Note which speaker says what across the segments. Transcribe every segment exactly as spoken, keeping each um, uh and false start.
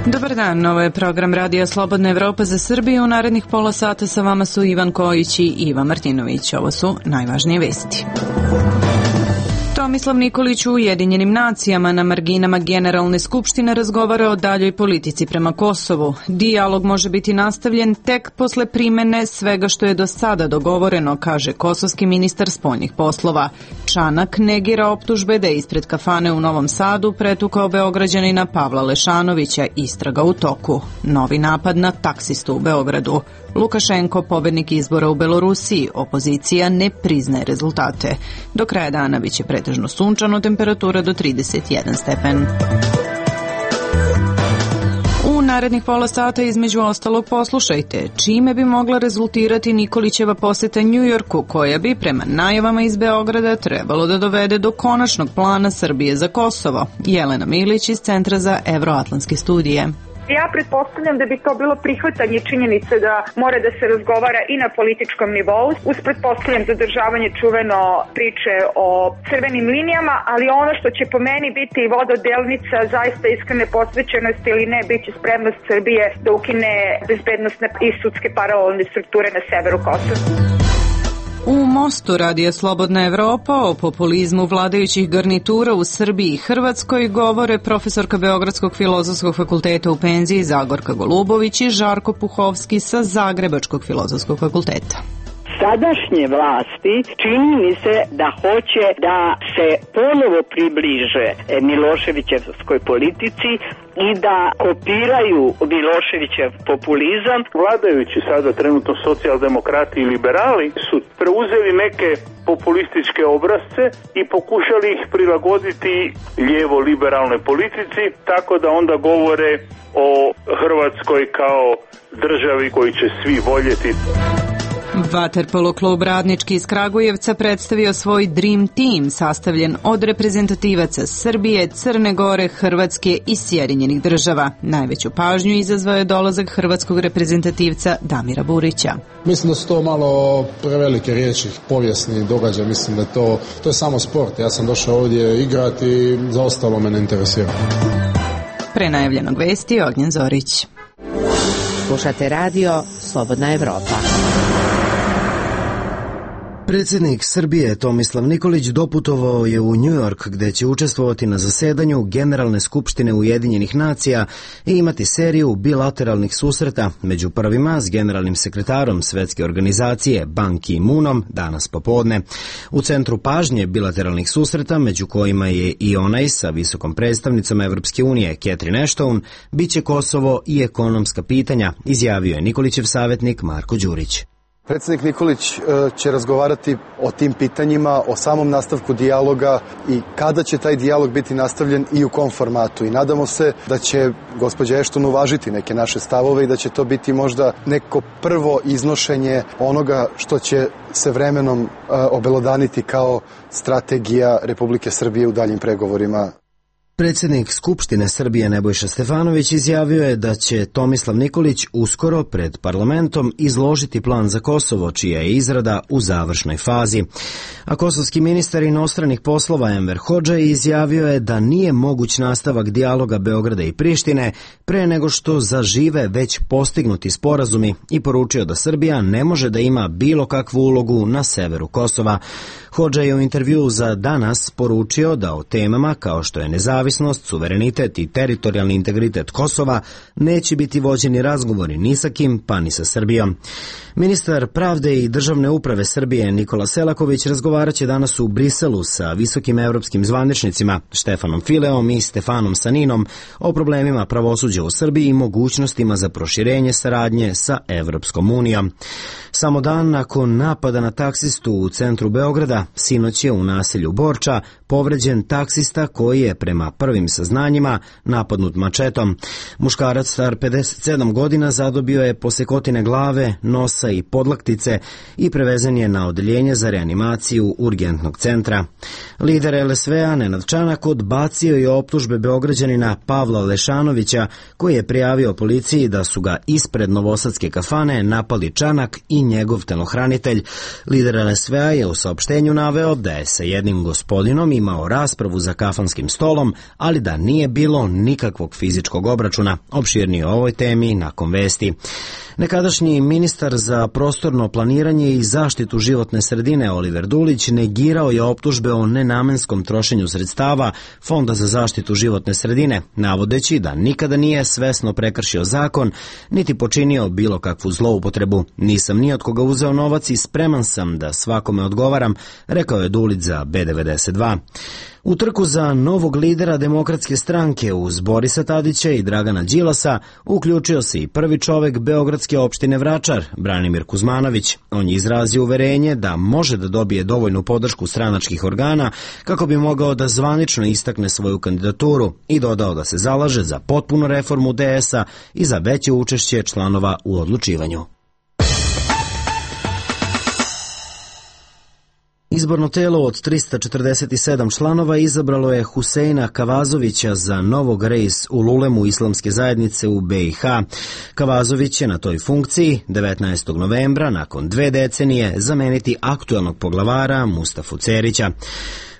Speaker 1: Dobar dan, ovo je program Radija Slobodna Evropa za Srbiju. U narednih pola sata sa vama su Ivan Kojić i Iva Martinović. Ovo su najvažnije vesti. Tomislav Nikolić u Ujedinjenim nacijama na marginama Generalne skupštine razgovara o daljoj politici prema Kosovu. Dijalog može biti nastavljen tek posle primene svega što je do sada dogovoreno, kaže kosovski ministar spoljnih poslova. Čanak negira optužbe da je ispred kafane u Novom Sadu pretukao Beograđanina Pavla Lešanovića, istraga u toku. Novi napad na taksistu u Beogradu. Lukašenko, pobednik izbora u Belorusiji, opozicija ne priznaje rezultate. Do kraja dana biće pretežno sunčano, temperatura do trideset jedan stepen. U narednih pola sata između ostalog poslušajte čime bi mogla rezultirati Nikolićeva poseta Njujorku, koja bi prema najavama iz Beograda trebalo da dovede do konačnog plana Srbije za Kosovo. Jelena Milić iz Centra za evroatlantske studije.
Speaker 2: Ja pretpostavljam da bi to bilo prihvatanje činjenice da mora da se razgovara i na političkom nivou, uz pretpostavljam zadržavanje čuveno priče o crvenim linijama, ali ono što će po meni biti vododelnica zaista iskrene posvećenosti ili ne, bit će spremnost Srbije da ukine bezbednostne i sudske paralelne strukture na severu Kosova.
Speaker 1: U Mostu Radija Slobodna Evropa o populizmu vladajućih garnitura u Srbiji i Hrvatskoj govore profesorka Beogradskog filozofskog fakulteta u penziji Zagorka Golubović i Žarko Puhovski sa Zagrebačkog filozofskog fakulteta.
Speaker 3: Sadašnje vlasti čini mi se da hoće da se ponovo približe Miloševićevskoj politici i da kopiraju Miloševićev populizam.
Speaker 4: Vladajući sada trenutno socijaldemokrati i liberali su preuzeli neke populističke obrazce i pokušali ih prilagoditi lijevo-liberalnoj politici, tako da onda govore o Hrvatskoj kao državi koju će svi voljeti.
Speaker 1: Vaterpolo klub Radnički iz Kragujevca predstavio svoj Dream Team, sastavljen od reprezentativaca Srbije, Crne Gore, Hrvatske i Sjedinjenih država. Najveću pažnju izazvao je dolazak hrvatskog reprezentativca Damira Burića.
Speaker 5: Mislim da su to malo prevelike riječi, povijesni događaj, mislim da to, to je samo sport. Ja sam došao ovdje igrati i za ostalo me ne interesira.
Speaker 1: Pre najavljenog vesti Ognjen Zorić.
Speaker 6: Slušate radio Slobodna Evropa.
Speaker 7: Predsjednik Srbije Tomislav Nikolić doputovao je u Njujork gdje će učestvovati na zasedanju Generalne skupštine Ujedinjenih nacija i imati seriju bilateralnih susreta, među prvima s generalnim sekretarom Svetske organizacije Ban Ki-moonom danas popodne. U centru pažnje bilateralnih susreta, među kojima je i onaj sa visokom predstavnicom Evropske unije Catherine Ashton, bit će Kosovo i ekonomska pitanja, izjavio je Nikolićev savjetnik Marko Đurić.
Speaker 8: Predsjednik Nikolić će razgovarati o tim pitanjima, o samom nastavku dijaloga i kada će taj dijalog biti nastavljen i u kom formatu. I nadamo se da će gospođa Ashton uvažiti neke naše stavove i da će to biti možda neko prvo iznošenje onoga što će se vremenom obelodaniti kao strategija Republike Srbije u daljim pregovorima.
Speaker 7: Predsjednik Skupštine Srbije Nebojša Stefanović izjavio je da će Tomislav Nikolić uskoro pred parlamentom izložiti plan za Kosovo, čija je izrada u završnoj fazi. A kosovski ministar inostranih poslova Enver Hodža izjavio je da nije moguć nastavak dijaloga Beograda i Prištine pre nego što zažive već postignuti sporazumi i poručio da Srbija ne može da ima bilo kakvu ulogu na severu Kosova. Hodža je u intervjuu za Danas poručio da o temama kao što je nezavisnost, suverenitet i teritorijalni integritet Kosova neće biti vođeni razgovori ni sa kim, pa ni sa Srbijom. Ministar pravde i državne uprave Srbije Nikola Selaković razgovarat će danas u Briselu sa visokim evropskim zvaničnicima Štefanom Fileom i Stefanom Saninom o problemima pravosuđa u Srbiji i mogućnostima za proširenje saradnje sa Evropskom unijom. Samo dan nakon napada na taksistu u centru Beograda, sinoć je u naselju Borča povređen taksista koji je prema prvim saznanjima napadnut mačetom. Muškarac star pedeset sedam godina zadobio je posekotine glave, nosa i podlaktice i prevezen je na odeljenje za reanimaciju urgentnog centra. Lider el es ve a Nenad Čanak odbacio je optužbe Beograđanina Pavla Lešanovića koji je prijavio policiji da su ga ispred novosadske kafane napali Čanak i njegov telohranitelj. Lider el es ve a je u saopštenju naveo da je sa jednim gospodinom imao raspravu za kafanskim stolom, ali da nije bilo nikakvog fizičkog obračuna. Opširnije o ovoj temi nakon vesti. Nekadašnji ministar za prostorno planiranje i zaštitu životne sredine Oliver Dulić negirao je optužbe o nenamenskom trošenju sredstava Fonda za zaštitu životne sredine, navodeći da nikada nije svesno prekršio zakon, niti počinio bilo kakvu zloupotrebu. Nisam ni od koga uzeo novac i spreman sam da svakome odgovaram, rekao je Dulić za B devedeset dva. U trku za novog lidera Demokratske stranke uz Borisa Tadića i Dragana Đilasa uključio se i prvi čovek beogradske opštine Vračar, Branimir Kuzmanović. On je izrazio uverenje da može da dobije dovoljnu podršku stranačkih organa kako bi mogao da zvanično istakne svoju kandidaturu i dodao da se zalaže za potpunu reformu D S-a i za veće učešće članova u odlučivanju. Izborno telo od trista četrdeset sedam članova izabralo je Huseina Kavazovića za novog reis u Lulemu islamske zajednice u B i H. Kavazović je na toj funkciji devetnaestog novembra, nakon dve decenije, zameniti aktuelnog poglavara Mustafu Cerića.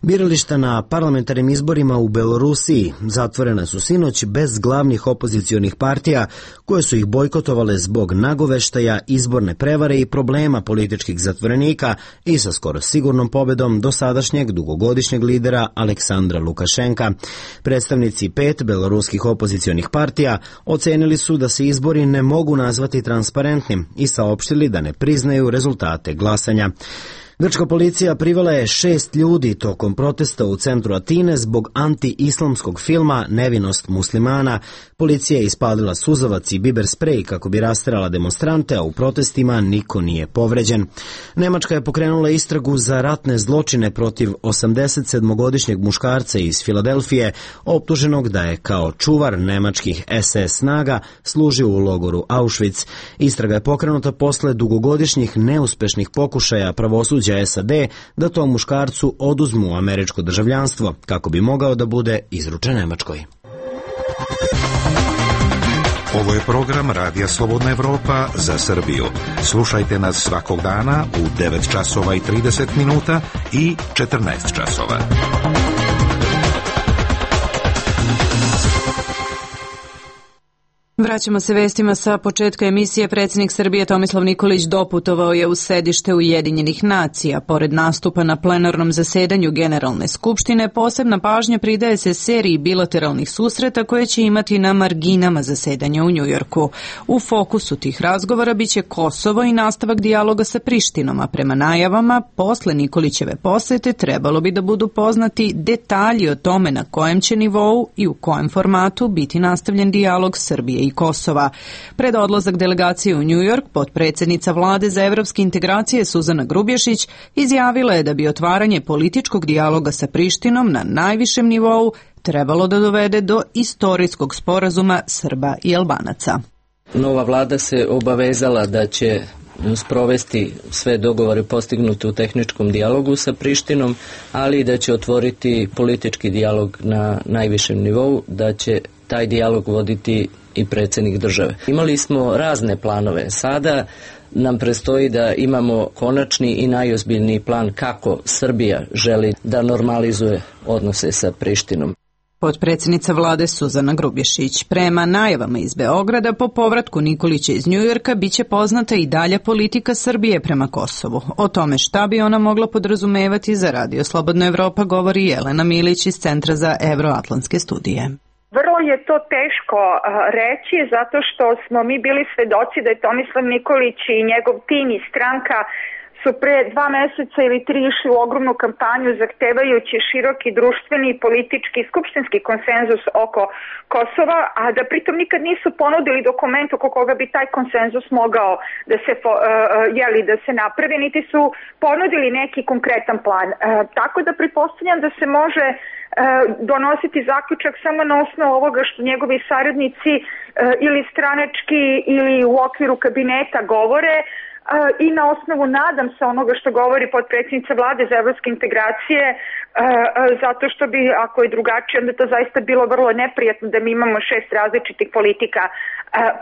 Speaker 7: Birališta na parlamentarnim izborima u Belorusiji zatvorena su sinoć bez glavnih opozicionih partija koje su ih bojkotovale zbog nagoveštaja izborne prevare i problema političkih zatvorenika i sa skoro sigurnom pobedom dosadašnjeg dugogodišnjeg lidera Aleksandra Lukašenka. Predstavnici pet beloruskih opozicionih partija ocenili su da se izbori ne mogu nazvati transparentnim i saopštili da ne priznaju rezultate glasanja. Grčka policija privela je šest ljudi tokom protesta u centru Atine zbog anti-islamskog filma Nevinost muslimana. Policija je ispalila suzavac i biber sprej kako bi rasterala demonstrante, a u protestima niko nije povređen. Nemačka je pokrenula istragu za ratne zločine protiv osamdesetsedmogodišnjeg muškarca iz Filadelfije, optuženog da je kao čuvar nemačkih S S snaga služio u logoru Auschwitz. Istraga je pokrenuta posle dugogodišnjih neuspešnih pokušaja pravosuđa S A D da tom muškarcu oduzmu američko državljanstvo kako bi mogao da bude izručen Nemačkoj.
Speaker 9: Ovo je program Radija Slobodna Evropa za Srbiju. Slušajte nas svakog dana u devet časova i trideset minuta i četrnaest časova.
Speaker 1: Vraćamo se vestima sa početka emisije. Predsjednik Srbije Tomislav Nikolić doputovao je u sedište Ujedinjenih nacija. Pored nastupa na plenarnom zasedanju Generalne skupštine, posebna pažnja pridaje se seriji bilateralnih susreta koje će imati na marginama zasedanja u Njujorku. U fokusu tih razgovora biće Kosovo i nastavak dijaloga sa Prištinom, a prema najavama, posle Nikolićeve posete trebalo bi da budu poznati detalji o tome na kojem će nivou i u kojem formatu biti nastavljen dijalog Srbije i Kosova. Pred odlazak delegacije u Njujork, potpredsjednica Vlade za evropske integracije Suzana Grubješić izjavila je da bi otvaranje političkog dijaloga sa Prištinom na najvišem nivou trebalo da dovede do istorijskog sporazuma Srba i Albanaca.
Speaker 10: Nova vlada se obavezala da će sprovesti sve dogovore postignute u tehničkom dijalogu sa Prištinom, ali i da će otvoriti politički dijalog na najvišem nivou, da će taj dijalog voditi i predsjednik države. Imali smo razne planove. Sada nam prestoji da imamo konačni i najozbiljniji plan kako Srbija želi da normalizuje odnose sa Prištinom.
Speaker 1: Potpredsjednica vlade Suzana Grubješić. Prema najavama iz Beograda, po povratku Nikolića iz Njujorka biće poznata i dalja politika Srbije prema Kosovu. O tome šta bi ona mogla podrazumevati za Radio Slobodna Evropa govori Jelena Milić iz Centra za evroatlantske studije.
Speaker 2: Vrlo je to teško reći zato što smo mi bili svedoci da je Tomislav Nikolić i njegov tim i stranka su pre dva meseca ili tri išli u ogromnu kampanju zahtevajući široki društveni i politički skupštinski konsenzus oko Kosova, a da pritom nikad nisu ponudili dokument oko koga bi taj konsenzus mogao da se, uh, jeli, da se napravi, niti su ponudili neki konkretan plan. Uh, tako da pretpostavljam da se može uh, donositi zaključak samo na osnovu ovoga što njegovi saradnici uh, ili stranački ili u okviru kabineta govore, i na osnovu, nadam se, onoga što govori potpredsjednica vlade za evropske integracije, zato što bi, ako je drugačije, onda to zaista bilo vrlo neprijatno da mi imamo šest različitih politika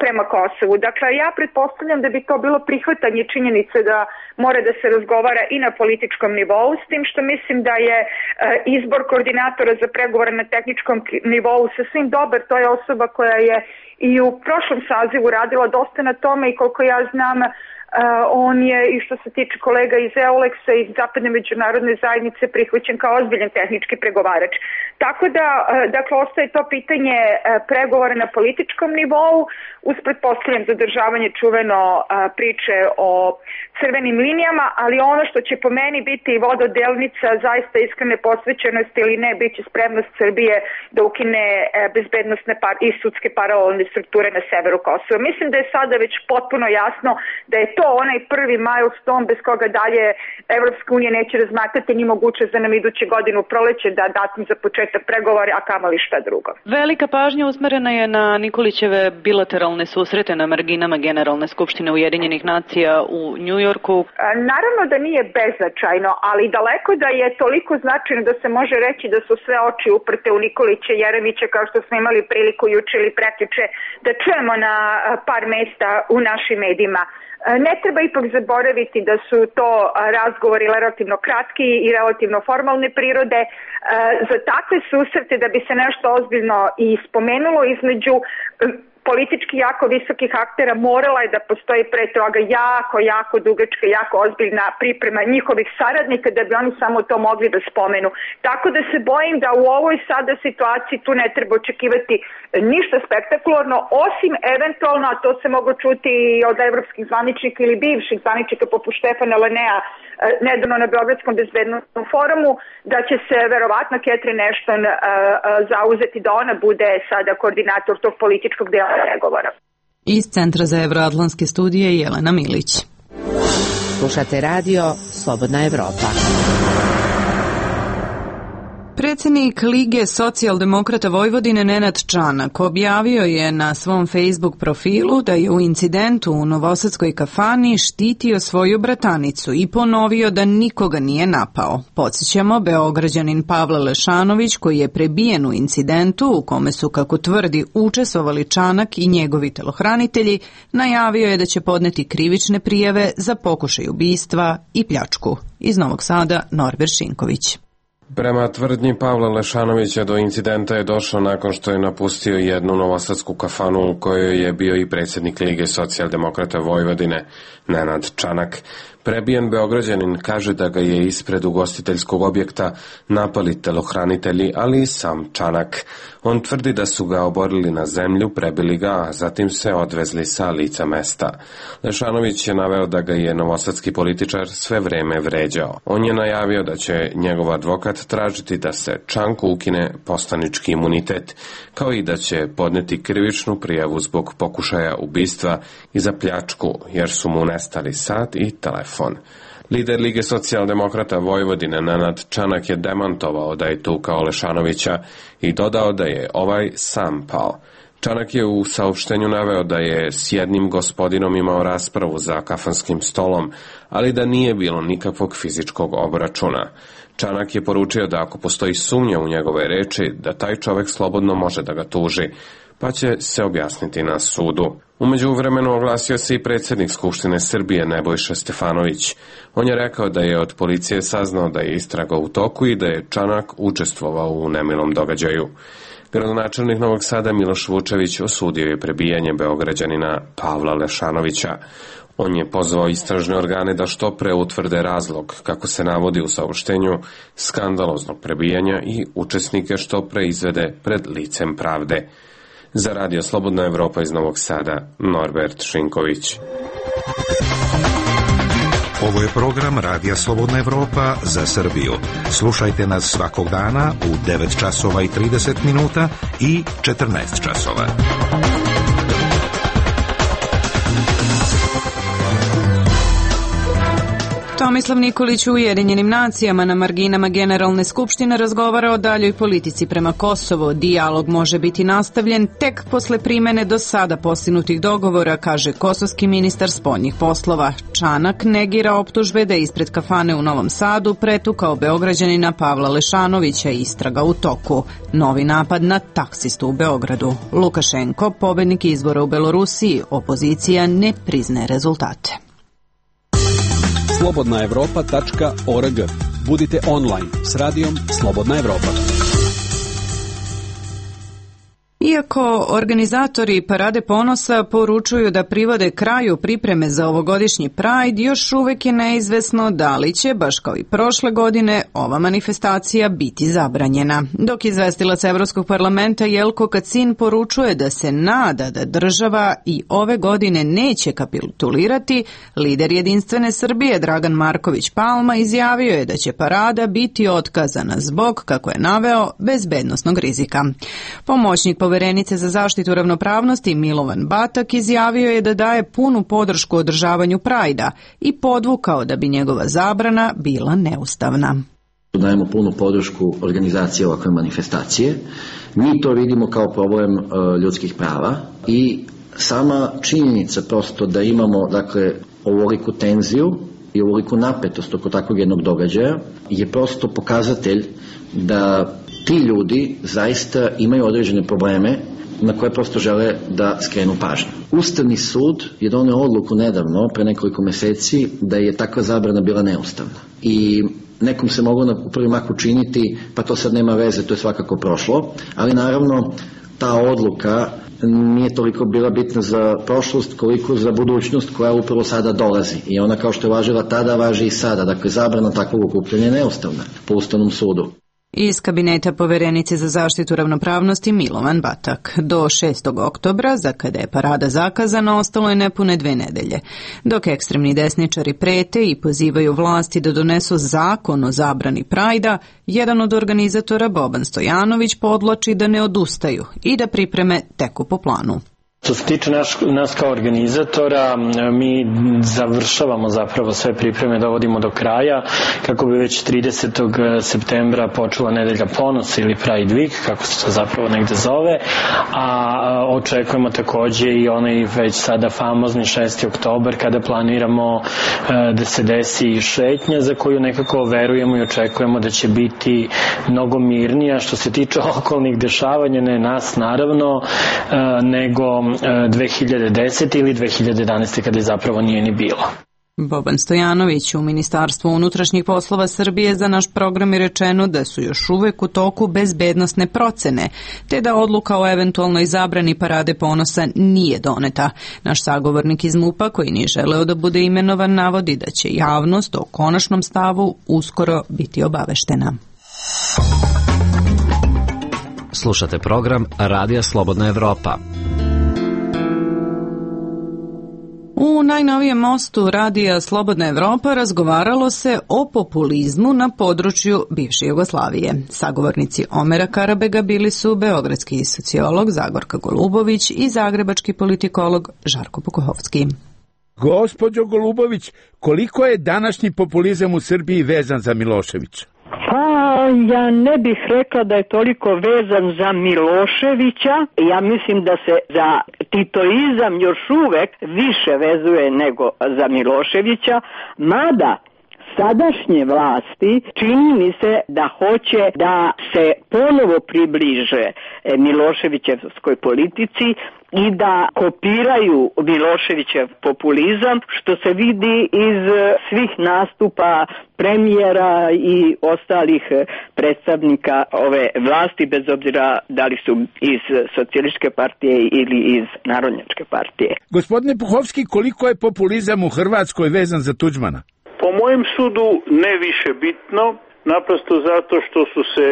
Speaker 2: prema Kosovu. Dakle, ja pretpostavljam da bi to bilo prihvatanje činjenice da mora da se razgovara i na političkom nivou, s tim što mislim da je izbor koordinatora za pregovore na tehničkom nivou sasvim dobar. To je osoba koja je i u prošlom sazivu radila dosta na tome i koliko ja znam, Uh, on je, i što se tiče kolega iz EULEX-a i zapadne međunarodne zajednice, prihvaćen kao ozbiljan tehnički pregovarač. Tako da, uh, dakle, ostaje to pitanje uh, pregovora na političkom nivou, uz pretpostavljam zadržavanje čuveno uh, priče o crvenim linijama, ali ono što će po meni biti vododelnica zaista iskrene posvećenosti ili ne, bit će spremnost Srbije da ukine uh, bezbednostne par i sudske paralelne strukture na severu Kosova. Mislim da je sada već potpuno jasno da je to onaj prvi milestone bez koga dalje Evropska unija neće razmatrati ni mogućnost da nam iduće godine u proleće da datum za početak pregovora, a kamoli šta drugo.
Speaker 1: Velika pažnja usmerena je na Nikolićeve bilateralne susrete na marginama Generalne skupštine Ujedinjenih nacija u Njujorku.
Speaker 2: Naravno da nije beznačajno, ali daleko da je toliko značajno da se može reći da su sve oči uprte u Nikolića i Jeremića, kao što smo imali priliku juče ili prekjuče da čujemo na par mesta u našim medijima. Ne treba ipak zaboraviti da su to razgovori relativno kratki i relativno formalne prirode. Za takve susrete da bi se nešto ozbiljno i spomenulo između politički jako visokih aktera morala je da postoji pre toga jako, jako dugačka, jako ozbiljna priprema njihovih saradnika da bi oni samo to mogli da spomenu. Tako da se bojim da u ovoj sada situaciji tu ne treba očekivati ništa spektakularno, osim eventualno, a to se mogu čuti od evropskih zvaničnika ili bivših zvaničnika poput Štefana Lanea nedavno na Beogradskom bezbednostnom forumu, da će se verovatno Catherine Ashton uh, uh, zauzeti da ona bude sada koordinator tog političkog dela pregovora.
Speaker 1: Iz Centra za evroatlantske studije Jelena Milić.
Speaker 6: Slušate radio Slobodna Evropa.
Speaker 1: Predsjednik Lige socijaldemokrata Vojvodine Nenad Čanak objavio je na svom Facebook profilu da je u incidentu u novosadskoj kafani štitio svoju bratanicu i ponovio da nikoga nije napao. Podsjećamo, Beograđanin Pavle Lešanović, koji je prebijen u incidentu u kome su, kako tvrdi, učestvovali Čanak i njegovi telohranitelji, najavio je da će podneti krivične prijave za pokušaj ubistva i pljačku. Iz Novog Sada, Norbert Šinković.
Speaker 11: Prema tvrdnji Pavla Lešanovića, do incidenta je došlo nakon što je napustio jednu novosadsku kafanu u kojoj je bio i predsjednik Lige socijaldemokrata Vojvodine, Nenad Čanak. Prebijen Beograđanin kaže da ga je ispred ugostiteljskog objekta napali telohranitelji, ali i sam Čanak. On tvrdi da su ga oborili na zemlju, prebili ga, a zatim se odvezli sa lica mesta. Lešanović je naveo da ga je novosadski političar sve vreme vređao. On je najavio da će njegov advokat tražiti da se Čanku ukine poslanički imunitet, kao i da će podneti krivičnu prijavu zbog pokušaja ubistva i za pljačku, jer su mu nestali sat i telefon. Lider Lige socijaldemokrata Vojvodine Nenad Čanak je demantovao da je tukao Lešanovića i dodao da je ovaj sam pao. Čanak je u saopštenju naveo da je s jednim gospodinom imao raspravu za kafanskim stolom, ali da nije bilo nikakvog fizičkog obračuna. Čanak je poručio da ako postoji sumnja u njegove reči, da taj čovek slobodno može da ga tuži, pa će se objasniti na sudu. U međuvremenu oglasio se i predsjednik Skupštine Srbije Nebojša Stefanović. On je rekao da je od policije saznao da je istraga u toku i da je Čanak učestvovao u nemilom događaju. Gradonačelnik Novog Sada Miloš Vučević osudio je prebijanje Beograđanina Pavla Lešanovića. On je pozvao istražne organe da što pre utvrde razlog, kako se navodi u saopštenju, skandaloznog prebijanja i učesnike što pre izvede pred licem pravde. Za Radio Slobodna Evropa iz Novog Sada, Norbert Šinković.
Speaker 9: Ovo je program Radija Slobodna Evropa za Srbiju. Slušajte nas svakog dana u devet časova i trideset minuta i četrnaest časova.
Speaker 1: Tomislav Nikolić u Ujedinjenim nacijama na marginama Generalne skupštine razgovara o daljoj politici prema Kosovu. Dijalog može biti nastavljen tek posle primene do sada postignutih dogovora, kaže kosovski ministar spoljnih poslova. Čanak negira optužbe da je ispred kafane u Novom Sadu pretukao Beograđanina Pavla Lešanovića, istraga u toku. Novi napad na taksistu u Beogradu. Lukašenko, pobednik izbora u Belorusiji, opozicija ne priznaje rezultate.
Speaker 12: slobodna evropa tačka org. Budite online s radijom Slobodna Evropa.
Speaker 1: Iako organizatori Parade ponosa poručuju da privode kraju pripreme za ovogodišnji Pride, još uvek je neizvesno da li će, baš kao i prošle godine, ova manifestacija biti zabranjena. Dok izvestilac Evropskog parlamenta Jelko Kacin poručuje da se nada da država i ove godine neće kapitulirati, lider Jedinstvene Srbije Dragan Marković Palma izjavio je da će parada biti otkazana zbog, kako je naveo, bezbednosnog rizika. Pomoćnik Poverenice za zaštitu ravnopravnosti Milovan Batak izjavio je da daje punu podršku održavanju Prajda i podvukao da bi njegova zabrana bila neustavna.
Speaker 13: Dajemo punu podršku organizaciji ovakve manifestacije. Mi to vidimo kao problem uh, ljudskih prava i sama činjenica prosto da imamo dakle ovoliku tenziju i ovoliku napetost oko takvog jednog događaja je prosto pokazatelj da ti ljudi zaista imaju određene probleme na koje prosto žele da skrenu pažnju. Ustavni sud je doneo odluku nedavno, pre nekoliko meseci, da je takva zabrana bila neustavna. I nekom se moglo u prvi mah učiniti, pa to sad nema veze, to je svakako prošlo, ali naravno ta odluka nije toliko bila bitna za prošlost koliko za budućnost koja upravo sada dolazi. I ona kao što je važila tada, važi i sada. Dakle, zabrana takvog okupljanja je neustavna po Ustavnom sudu.
Speaker 1: Iz kabineta Poverenice za zaštitu ravnopravnosti Milovan Batak. Do šestog oktobra, za kada je parada zakazana, ostalo je nepune dve nedelje. Dok ekstremni desničari prete i pozivaju vlasti da donesu zakon o zabrani Prajda, jedan od organizatora, Boban Stojanović, podvlači da ne odustaju i da pripreme teku po planu.
Speaker 14: Što se tiče naš, nas kao organizatora, mi završavamo zapravo sve pripreme, dovodimo do kraja, kako bi već tridesetog septembra počela nedelja ponosa ili Pride Week, kako se to zapravo negde zove, a očekujemo takođe i onaj već sada famozni šesti oktobar, kada planiramo da se desi šetnja za koju nekako verujemo i očekujemo da će biti mnogo mirnija što se tiče okolnih dešavanja, ne nas naravno, nego dve hiljade desete ili dve hiljade jedanaeste kada je zapravo nije ni bilo.
Speaker 1: Boban Stojanović u Ministarstvu unutrašnjih poslova Srbije za naš program je rečeno da su još uvek u toku bezbednosne procene, te da odluka o eventualnoj zabrani Parade ponosa nije doneta. Naš sagovornik iz MUP-a, koji nije želeo da bude imenovan, navodi da će javnost o konačnom stavu uskoro biti obaveštena.
Speaker 7: Slušate program Radija Slobodna Evropa.
Speaker 1: U najnovijem mostu Radija Slobodna Evropa razgovaralo se o populizmu na području bivše Jugoslavije. Sagovornici Omera Karabega bili su beogradski sociolog Zagorka Golubović i zagrebački politikolog Žarko Pukohovski.
Speaker 15: Gospođo Golubović, koliko je današnji populizam u Srbiji vezan za Miloševića?
Speaker 3: Pa, ja ne bih rekla da je toliko vezan za Miloševića. Ja mislim da se za titoizam još uvek više vezuje nego za Miloševića, mada sadašnje vlasti čini mi se da hoće da se ponovo približe Miloševićevskoj politici i da kopiraju Miloševićev populizam, što se vidi iz svih nastupa premijera i ostalih predstavnika ove vlasti, bez obzira da li su iz Socijalističke partije ili iz Narodnjačke partije.
Speaker 15: Gospodine Puhovski, koliko je populizam u Hrvatskoj vezan za Tuđmana?
Speaker 4: Po mojem sudu ne više bitno, naprosto zato što su se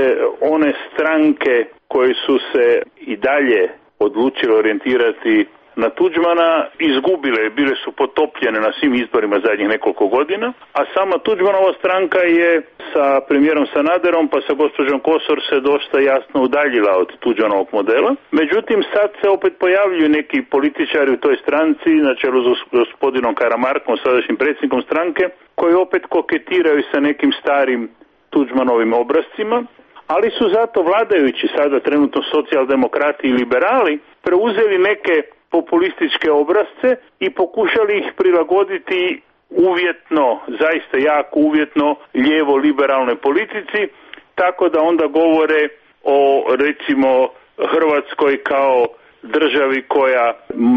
Speaker 4: one stranke koje su se i dalje odlučile orijentirati na Tuđmana izgubile, bile su potopljene na svim izborima zadnjih nekoliko godina, a sama Tuđmanova stranka je sa premijerom Sanaderom pa sa gospođom Kosor se dosta jasno udaljila od Tuđmanovog modela. Međutim, sad se opet pojavljuju neki političari u toj stranci, na čelu s gospodinom Karamarkom, sadašnjim predsjednikom stranke, koji opet koketiraju sa nekim starim Tuđmanovim obrascima, ali su zato vladajući sada trenutno socijaldemokrati i liberali preuzeli neke populističke obrazce i pokušali ih prilagoditi uvjetno, zaista jako uvjetno lijevo-liberalnoj politici, tako da onda govore o recimo Hrvatskoj kao državi koja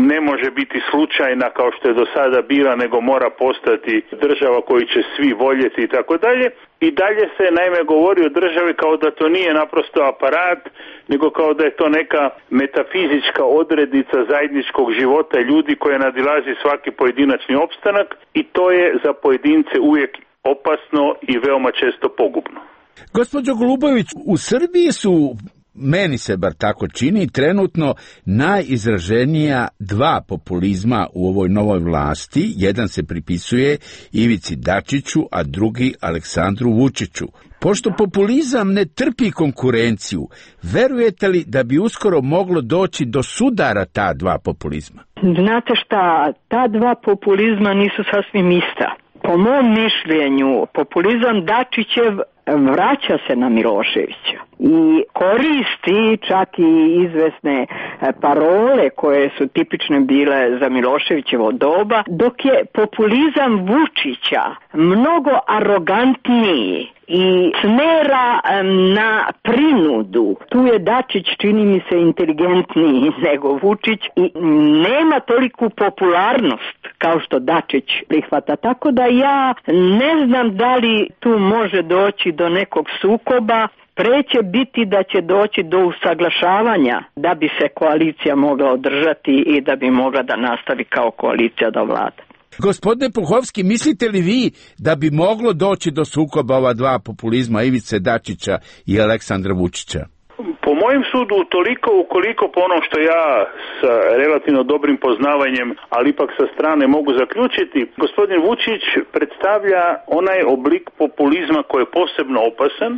Speaker 4: ne može biti slučajna kao što je do sada bila, nego mora postati država koju će svi voljeti i tako dalje. I dalje se naime govori o državi kao da to nije naprosto aparat, nego kao da je to neka metafizička odrednica zajedničkog života ljudi koja nadilazi svaki pojedinačni opstanak i to je za pojedince uvijek opasno i veoma često pogubno.
Speaker 15: Gospođo Golubović, u Srbiji su, meni se bar tako čini, trenutno najizraženija dva populizma u ovoj novoj vlasti. Jedan se pripisuje Ivici Dačiću, a drugi Aleksandru Vučiću. Pošto populizam ne trpi konkurenciju, verujete li da bi uskoro moglo doći do sudara ta dva populizma?
Speaker 3: Znate šta, ta dva populizma nisu sasvim ista. Po mom mišljenju, populizam Dačićev vraća se na Miloševića i koristi čak i izvesne parole koje su tipične bile za Miloševićevo doba, dok je populizam Vučića mnogo arogantniji i smera na prinudu. Tu je Dačić, čini mi se, inteligentniji nego Vučić i nema toliku popularnost kao što Dačić prihvata. Tako da ja ne znam da li tu može doći do nekog sukoba. Pre će biti da će doći do usaglašavanja da bi se koalicija mogla održati i da bi mogla da nastavi kao koalicija da vlada.
Speaker 15: Gospodine Puhovski, mislite li vi da bi moglo doći do sukoba ova dva populizma, Ivice Dačića i Aleksandra Vučića?
Speaker 4: Po mojem sudu, toliko ukoliko po ono što ja sa relativno dobrim poznavanjem, ali ipak sa strane mogu zaključiti, gospodin Vučić predstavlja onaj oblik populizma koji je posebno opasan,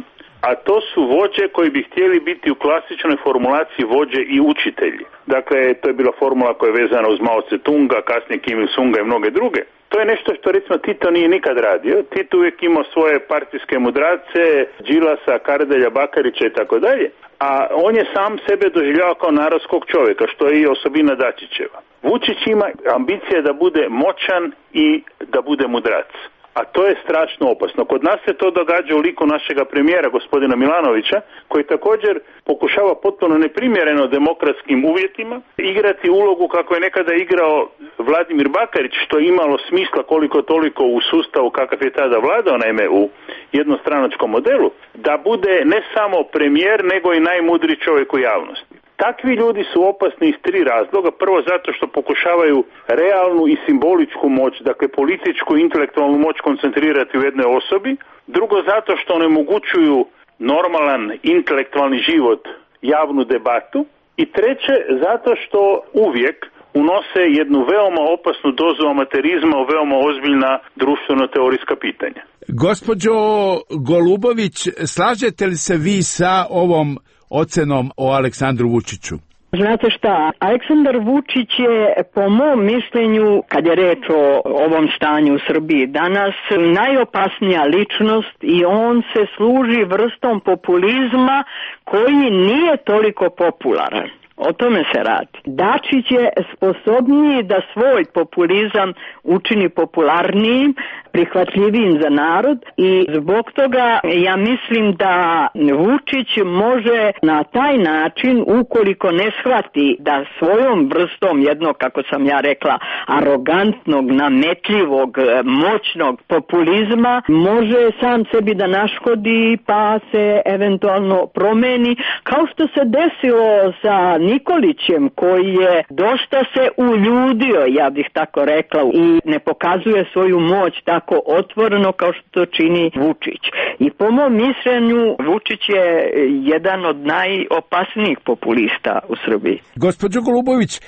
Speaker 4: a to su vođe koji bi htjeli biti u klasičnoj formulaciji vođe i učitelji. Dakle, to je bila formula koja je vezana uz Mao Tse-tunga, kasnije Kim Il-sunga i mnoge druge. To je nešto što recimo Tito nije nikad radio. Tito uvijek imao svoje partijske mudrace, Đilasa, Kardelja, Bakarića i tako dalje, a on je sam sebe doživljavao kao narodskog čovjeka, što je i osobina Dačićeva. Vučić ima ambicije da bude moćan i da bude mudrac. A to je strašno opasno. Kod nas se to događa u liku našega premijera, gospodina Milanovića, koji također pokušava potpuno neprimjereno demokratskim uvjetima igrati ulogu kako je nekada igrao Vladimir Bakarić, što je imalo smisla koliko toliko u sustavu kakav je tada vladao, naime u jednostranačkom modelu, da bude ne samo premijer, nego i najmudriji čovjek u javnosti. Takvi ljudi su opasni iz tri razloga. Prvo zato što pokušavaju realnu i simboličku moć, dakle političku i intelektualnu moć koncentrirati u jednoj osobi. Drugo zato što onemogućuju normalan intelektualni život, javnu debatu. I treće zato što uvijek unose jednu veoma opasnu dozu amaterizma u veoma ozbiljna društveno-teorijska pitanja.
Speaker 15: Gospođo Golubović, slažete li se vi sa ovom ocenom o Aleksandru Vučiću?
Speaker 3: Znate šta, Aleksandar Vučić je po mom mišljenju, kad je reč o ovom stanju u Srbiji danas, najopasnija ličnost i on se služi vrstom populizma koji nije toliko popularan. O tome se radi. Dačić je sposobniji da svoj populizam učini popularnijim, prihvatljivijim za narod i zbog toga ja mislim da Vučić može na taj način, ukoliko ne shvati da svojom vrstom jednog, kako sam ja rekla, arogantnog, nametljivog, moćnog populizma, može sam sebi da naškodi pa se eventualno promeni, kao što se desilo sa Nikolićem koji je dosta se uljudio, ja bih tako rekla, i ne pokazuje svoju moć tako otvoreno kao što to čini Vučić. I po mom mišljenju Vučić je jedan od najopasnijih populista u Srbiji.
Speaker 15: Gospođo Golubović,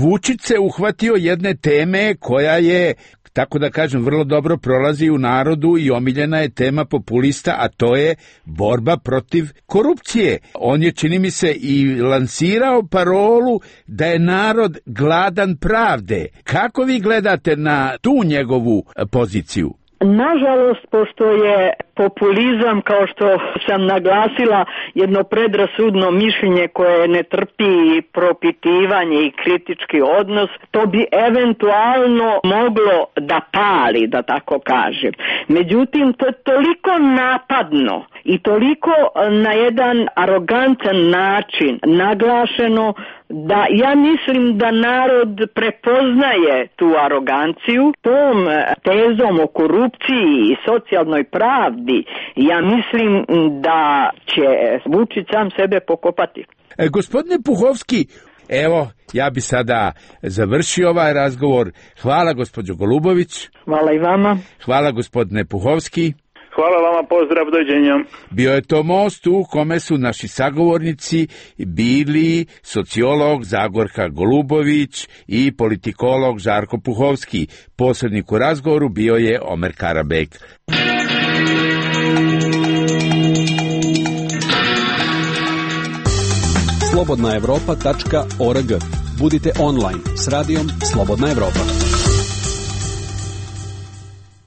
Speaker 15: Vučić se uhvatio jedne teme koja je, tako da kažem, vrlo dobro prolazi u narodu i omiljena je tema populista, a to je borba protiv korupcije. On je, čini mi se, i lansirao parolu da je narod gladan pravde. Kako vi gledate na tu njegovu poziciju?
Speaker 3: Nažalost, pošto je populizam, kao što sam naglasila, jedno predrasudno mišljenje koje ne trpi propitivanje i kritički odnos, to bi eventualno moglo da pali, da tako kažem. Međutim, to je toliko napadno i toliko na jedan arogantan način naglašeno da ja mislim da narod prepoznaje tu aroganciju. Tom tezom o korupciji i socijalnoj pravdi ja mislim da će Vučić sam sebe pokopati.
Speaker 15: E, gospodine Puhovski, evo, ja bi sada završio ovaj razgovor. Hvala gospođo Golubović.
Speaker 3: Hvala i vama.
Speaker 15: Hvala gospodine Puhovski.
Speaker 4: Hvala vama, pozdrav, doviđenja.
Speaker 15: Bio je to most u kome su naši sagovornici bili sociolog Zagorka Golubović i politikolog Žarko Puhovski. Posrednik u razgovoru bio je Omer Karabek.
Speaker 12: slobodna evropa tačka org. Budite online s radijom Slobodna Evropa.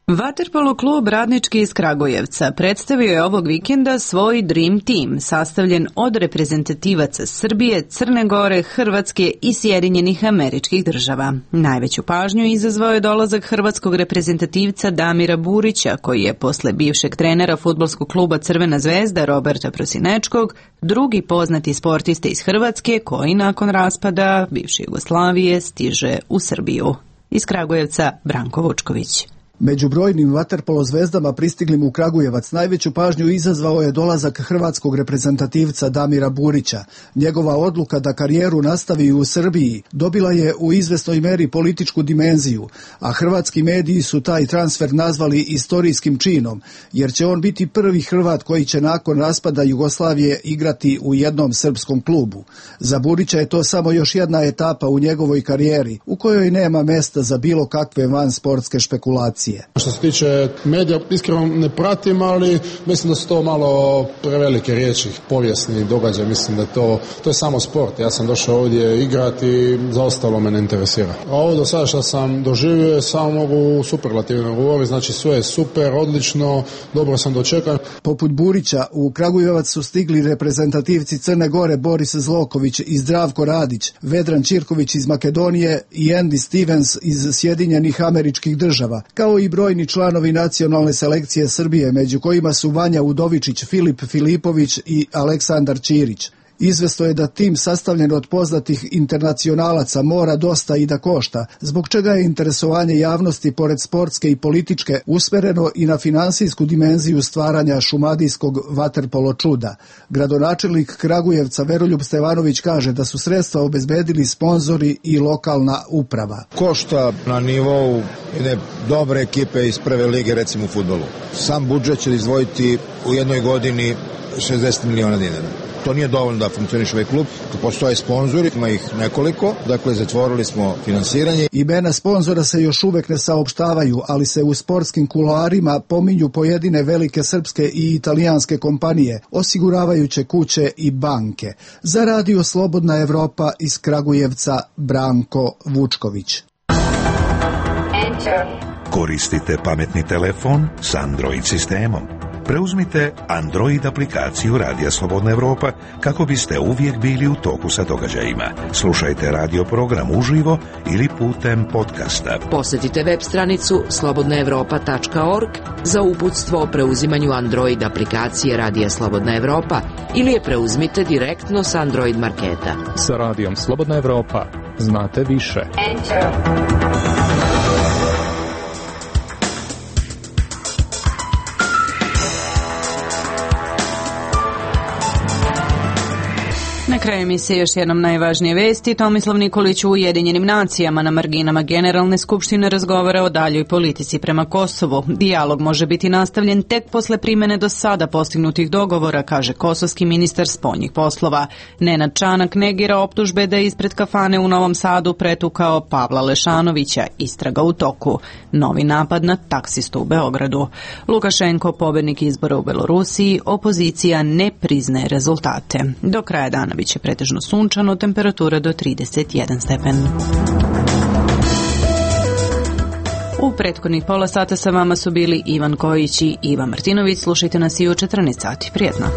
Speaker 1: Vaterpolo klub Radnički iz Kragujevca predstavio je ovog vikenda svoj Dream Team, sastavljen od reprezentativaca Srbije, Crne Gore, Hrvatske i Sjedinjenih Američkih Država. Najveću pažnju izazvao je dolazak hrvatskog reprezentativca Damira Burića, koji je posle bivšeg trenera fudbalskog kluba Crvena zvezda Roberta Prosinečkog drugi poznati sportista iz Hrvatske koji nakon raspada bivše Jugoslavije stiže u Srbiju. Iz Kragujevca Branko Vučković.
Speaker 16: Među brojnim vaterpolo zvezdama pristiglim u Kragujevac najveću pažnju izazvao je dolazak hrvatskog reprezentativca Damira Burića. Njegova odluka da karijeru nastavi u Srbiji dobila je u izvesnoj meri političku dimenziju, a hrvatski mediji su taj transfer nazvali istorijskim činom, jer će on biti prvi Hrvat koji će nakon raspada Jugoslavije igrati u jednom srpskom klubu. Za Burića je to samo još jedna etapa u njegovoj karijeri, u kojoj nema mesta za bilo kakve vansportske špekulacije.
Speaker 5: Što se tiče medija, iskreno ne pratim, ali mislim da su to malo prevelike riječi, povijesni događaj, mislim da to, to je samo sport. Ja sam došao ovdje igrati i za ostalo me ne interesira. A ovo do sada što sam doživio, samo mogu superlativno govoriti, znači sve je super, odlično, dobro sam dočekan.
Speaker 16: Poput Burića, u Kragujevac su stigli reprezentativci Crne Gore Boris Zloković i Zdravko Radić, Vedran Ćirković iz Makedonije i Andy Stevens iz Sjedinjenih Američkih Država, kao i brojni članovi nacionalne selekcije Srbije, među kojima su Vanja Udovičić, Filip Filipović i Aleksandar Ćirić. Izvesno je da tim sastavljen od poznatih internacionalaca mora dosta i da košta, zbog čega je interesovanje javnosti pored sportske i političke usmereno i na finansijsku dimenziju stvaranja šumadijskog vaterpolo čuda. Gradonačelnik Kragujevca Veroljub Stevanović kaže da su sredstva obezbedili sponzori i lokalna uprava.
Speaker 17: Košta na nivou jedne dobre ekipe iz prve lige, recimo u fudbalu. Sam budžet će izdvojiti u jednoj godini šezdeset miliona dinara. To nije dovoljno da funkcioniše ovaj klub, tu postoje sponzori, ima ih nekoliko, dakle zatvorili smo finansiranje.
Speaker 16: Imena sponzora se još uvek ne saopštavaju, ali se u sportskim kuloarima pominju pojedine velike srpske i italijanske kompanije, osiguravajuće kuće i banke. Za radio Slobodna Evropa iz Kragujevca Branko Vučković.
Speaker 9: Koristite pametni telefon s Android sistemom. Preuzmite Android aplikaciju Radija Slobodna Evropa kako biste uvijek bili u toku sa događajima. Slušajte radio program uživo ili putem podcasta.
Speaker 6: Posjetite web stranicu slobodna evropa tačka org za uputstvo o preuzimanju Android aplikacije Radija Slobodna Evropa ili je preuzmite direktno s Android marketa.
Speaker 18: Sa Radijom Slobodna Evropa znate više. Enter.
Speaker 1: kraju emisije još jednom najvažnije vesti. Tomislav Nikolić u Ujedinjenim nacijama na marginama Generalne skupštine razgovara o daljoj politici prema Kosovu. Dijalog može biti nastavljen tek posle primene do sada postignutih dogovora, kaže kosovski ministar spoljnih poslova. Nenad Čanak negira optužbe da je ispred kafane u Novom Sadu pretukao Pavla Lešanovića. Istraga u toku. Novi napad na taksistu u Beogradu. Lukašenko, pobednik izbora u Belorusiji, opozicija ne priznaje rezultate. Do kraja dana biće pretežno sunčano, temperatura do trideset jedan stepen. U prethodnih pola sata sa vama su bili Ivan Kojić i Iva Martinović. Slušajte nas i u četrnaest sati. Prijetno.